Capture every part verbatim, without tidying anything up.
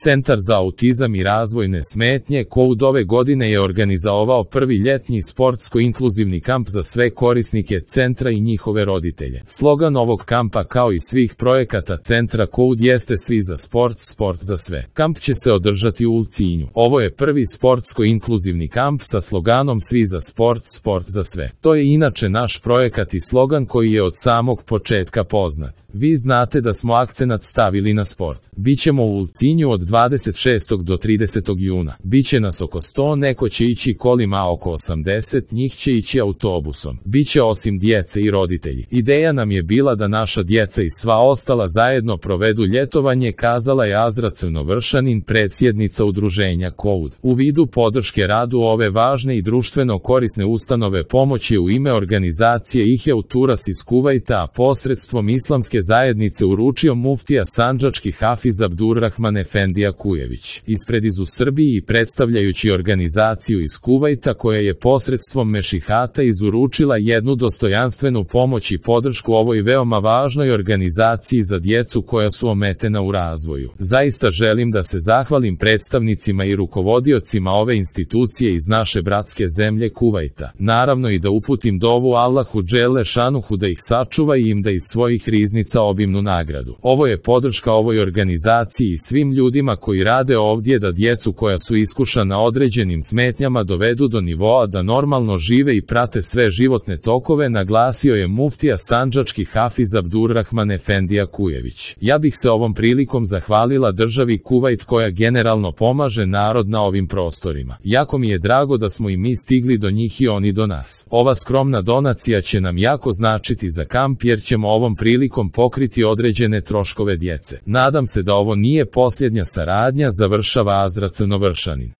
Centar za autizam i razvojne smetnje Koud ove godine je organizovao prvi ljetni sportsko-inkluzivni kamp za sve korisnike centra i njihove roditelje. Slogan ovog kampa, kao i svih projekata centra Koud, jeste Svi za sport, sport za sve. Kamp će se održati u Ulcinju. Ovo je prvi sportsko-inkluzivni kamp sa sloganom Svi za sport, sport za sve. To je inače naš projekat i slogan koji je od samog početka poznat. Vi znate da smo akcenat stavili na sport. Bićemo u Ulcinju od dvadeset šestog do tridesetog juna. Biće nas oko sto, neko će ići kolima, a oko osamdeset njih će ići autobusom. Biće osim djece i roditelji. Ideja nam je bila da naša djeca i sva ostala zajedno provedu ljetovanje, kazala je Azra Crnovršanin, predsjednica udruženja Koud. U vidu podrške radu ove važne i društveno korisne ustanove pomoć je u ime organizacije Ihya Uturas iz Kuvajta, a posredstvom islamske zajednice uručio muftija sandžački Hafiz Abdurrahman Efendija Kujević. Ispred iz u Srbiji i predstavljajući organizaciju iz Kuvajta koja je posredstvom mešihata izuručila jednu dostojanstvenu pomoć i podršku ovoj veoma važnoj organizaciji za djecu koja su ometena u razvoju. Zaista želim da se zahvalim predstavnicima i rukovodiocima ove institucije iz naše bratske zemlje Kuvajta. Naravno i da uputim dovu Allahu dželle šanuhu da ih sačuva i im da iz svojih riznica obimnu nagradu. Ovo je podrška ovoj organizaciji i svim ljudima koji rade ovdje da djecu koja su iskušana određenim smetnjama dovedu do nivoa da normalno žive i prate sve životne tokove, naglasio je muftija sandžački Hafiz Abdurrahman Efendija Kujević. Ja bih se ovom prilikom zahvalila državi Kuvajt koja generalno pomaže narod na ovim prostorima. Jako mi je drago da smo i mi stigli do njih i oni do nas. Ova skromna donacija će nam jako značiti za kamp jer ćemo ovom prilikom pokriti određene troškove djece. Nadam se da ovo nije posljednja saradnja, završava Azra Crnovršanin.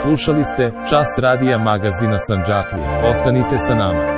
Slušali ste Čas radija magazina Sandžaklije. Ostanite sa nama.